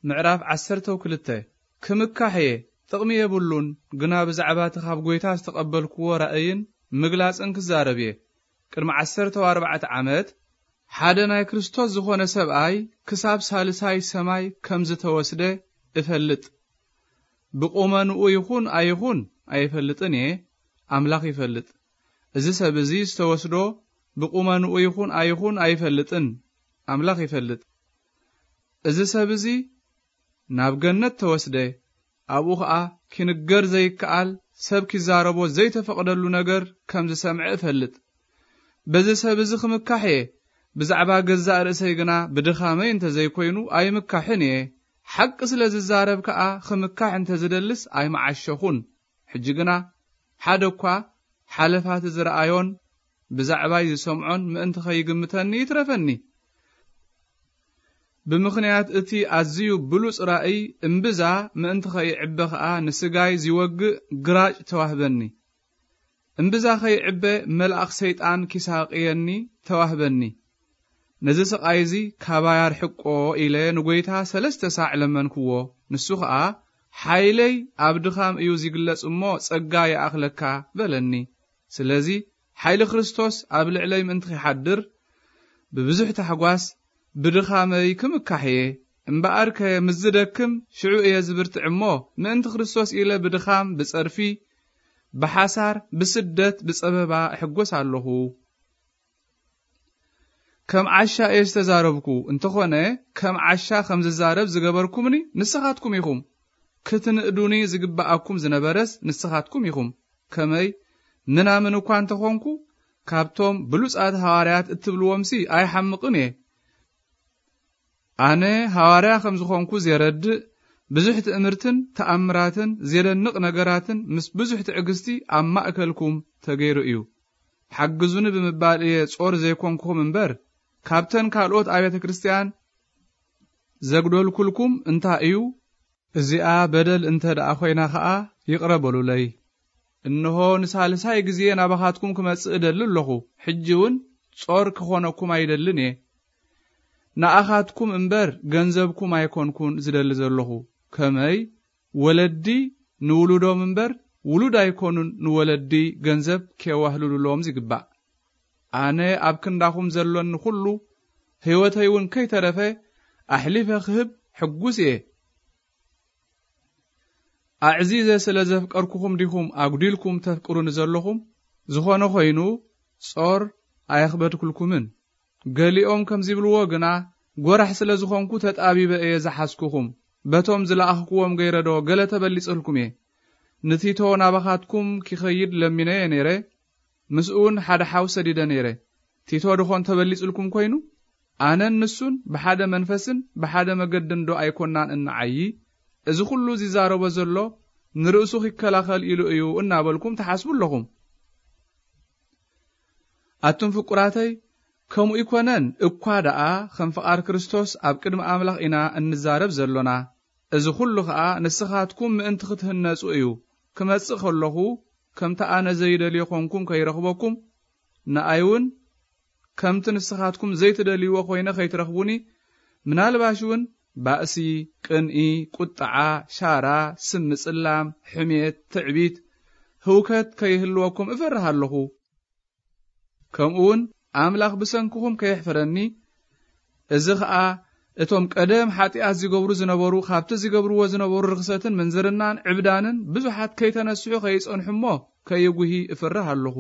ምዕራፍ ዓሰርተ ክልተ። ክምካሕ እየ፣ ጥቕሚ የብሉን፣ ግና ብዛዕባ እቲ ካብ ጐይታ ዝተቐበልክዎ ራእይን ምግላጽን ክዛረብ እየ። ቅድሚ ዓሰርተ ኣርባዕተ ዓመት ሓደ ናይ ክርስቶስ ዝኾነ ሰብኣይ ክሳብ ሳልሳይ ሰማይ ከም ዝተወስደ እፈልጥ። ብቁመንኡ ይኹን ኣይኹን ኣይፈልጥን እየ፣ ኣምላኽ ይፈልጥ። እዚ ሰብ እዚ ዝተወስዶ ብቁመንኡ ይኹን ኣይኹን ኣይፈልጥን፣ ኣምላኽ ይፈልጥ። እዚ ሰብ እዚ ናብ ገነት ተወስደ፣ ኣብኡ ኸኣ ኪንገር ዘይከኣል፣ ሰብ ኪዛረቦ ዘይተፈቕደሉ ነገር ከም ዝሰምዐ እፈልጥ። በዚ ሰብ እዚ ኽምካሕ እየ፣ ብዛዕባ ገዛእ ርእሰይ ግና ብድኻመይ እንተ ዘይኮይኑ ኣይምካሕን እየ። ሓቂ ስለ ዝዛረብ ከኣ ኽምካሕ እንተ ዝደልስ ኣይመዓሸኹን። ሕጂ ግና ሓደ እኳ ሓለፋቲ ዝረኣዮን ብዛዕባይ ዝሰምዖን ምእንቲ ኸይግምተኒ ይትረፈኒ። ብምኽንያት እቲ ኣዝዩ ብሉጽ ራእይ እምብዛ ምእንቲ ኸይዕበ ኸኣ ንስጋይ ዚወግእ ግራጭ ተዋህበኒ። እምብዛ ኸይዕበ መልኣኽ ሰይጣን ኪሳቕየኒ ተዋህበኒ። ነዚ ስቓይ እዚ ካባይ ኣርሕቆ ኢለ ንጐይታ ሰለስተ ሳዕ ለመንክዎ። ንሱ ኸኣ ሓይለይ ኣብ ድኻም እዩ ዚግለጽ እሞ ጸጋ ይኣኽለካ በለኒ። ስለዚ ሓይሊ ክርስቶስ ኣብ ልዕለይ ምእንቲ ኺሓድር ብብዙሕ ታሕጓስ ብድኻመይ ክምካሕ እየ። እምበኣርከ ምስ ዝደክም ሽዑ እየ ዝብርትዕ እሞ ምእንቲ ክርስቶስ ኢለ ብድኻም፣ ብጸርፊ፣ ብሓሳር፣ ብስደት፣ ብጸበባ እሕጎስ ኣለኹ። ከም ዓሻ እየ ዝተዛረብኩ፣ እንተኾነ ከም ዓሻ ከም ዝዛረብ ዝገበርኩምኒ ንስኻትኩም ኢኹም። ክትንእዱኒ ዝግብኣኩም ዝነበረስ ንስኻትኩም ኢኹም። ከመይ ምናምን እኳ እንተኾንኩ፣ ካብቶም ብሉጻት ሃዋርያት እትብልዎምሲ ኣይሓምቕን እየ። ኣነ ሃዋርያ ከም ዝኾንኩ ዜረድእ ብዙሕ ትእምርትን ተኣምራትን ዜደንቕ ነገራትን ምስ ብዙሕ ትዕግስቲ ኣብ ማእከልኩም ተገይሩ እዩ። ሓግዙኒ ብምባል እየ ጾር ዘይኮንኩኹም እምበር፣ ካብተን ካልኦት ኣብያተ ክርስትያን ዘጉደልኩልኩም እንታይ እዩ? እዚኣ በደል እንተ ደኣ ኾይና ኸኣ ይቕረ በሉለይ። እንሆ ንሳልሳይ ግዜ ናባኻትኩም ክመጽእ እደሊ ኣለኹ። ሕጂ እውን ጾር ክኾነኩም ኣይደልን እየ። ንኣኻትኩም እምበር ገንዘብኩም ኣይኮንኩን ዝደሊ ዘለኹ። ከመይ ወለዲ ንውሉዶም እምበር ውሉድ ኣይኮኑን ንወለዲ ገንዘብ ኬዋህልሉሎም ዝግባእ። ኣነ ኣብ ክንዳኹም ዘሎኒ ኩሉ፣ ህይወተይ እውን ከይተረፈ ኣሕሊፈ ክህብ ሕጉስ እየ። ኣዕዚዘ ስለ ዘፍቀርኩኹም ዲኹም ኣጉዲልኩም ተፍቅሩኒ ዘለኹም? ዝኾነ ኾይኑ ጾር ኣየኽበድኩልኩምን። ገሊኦም ከም ዚብልዎ ግና፣ ጐራሕ ስለ ዝኾንኩ ተጣቢበ እየ ዝሓዝኩኹም። በቶም ዝለኣኽኩዎም ገይረዶ ገለ ተበሊጽልኩም እየ። ንቲቶ ናባኻትኩም ኪኸይድ ለሚነዮ ነይረ፣ ምስኡ እውን ሓደ ሓው ሰዲደ ነይረ። ቲቶ ድኾን ተበሊጽልኩም ኮይኑ? ኣነን ንሱን ብሓደ መንፈስን ብሓደ መገድን ዶ ኣይኮናን እንዓዪ? እዚ ኹሉ ዚዛረቦ ዘሎ ንርእሱ ኺከላኸል ኢሉ እዩ እናበልኩም ትሓስቡ ኣለኹም። ኣቱም ፍቁራተይ፣ ከምኡ ይኮነን እኳ ደኣ ከም ፍቓድ ክርስቶስ ኣብ ቅድሚ ኣምላኽ ኢና እንዛረብ ዘሎና። እዚ ኹሉ ኸኣ ንስኻትኩም ምእንቲ ክትህነጹ እዩ። ክመጽእ ከለኹ ከምቲ ኣነ ዘይደልዮ ኾንኩም ከይረኽበኩም፣ ንኣይ እውን ከምቲ ንስኻትኩም ዘይትደልይዎ ኮይነ ከይትረኽቡኒ፣ ምናልባሽ እውን ባእሲ፣ ቅንኢ፣ ቁጥዓ፣ ሻራ፣ ስም ምጽላም፣ ሕሜት፣ ትዕቢት፣ ህውከት ከይህልወኩም እፈርህ ኣለኹ። ከምኡ እውን ኣምላኽ ብሰንክኹም ከየሕፍረኒ፣ እዚ ኸኣ እቶም ቀደም ሓጢኣት ዚገብሩ ዝነበሩ፣ ካብቲ ዚገብርዎ ዝነበሩ ርኽሰትን ምንዝርናን ዕብዳንን ብዙሓት ከይተነስሑ ከይጸንሑ እሞ ከይጉሂ እፍርህ ኣለኹ።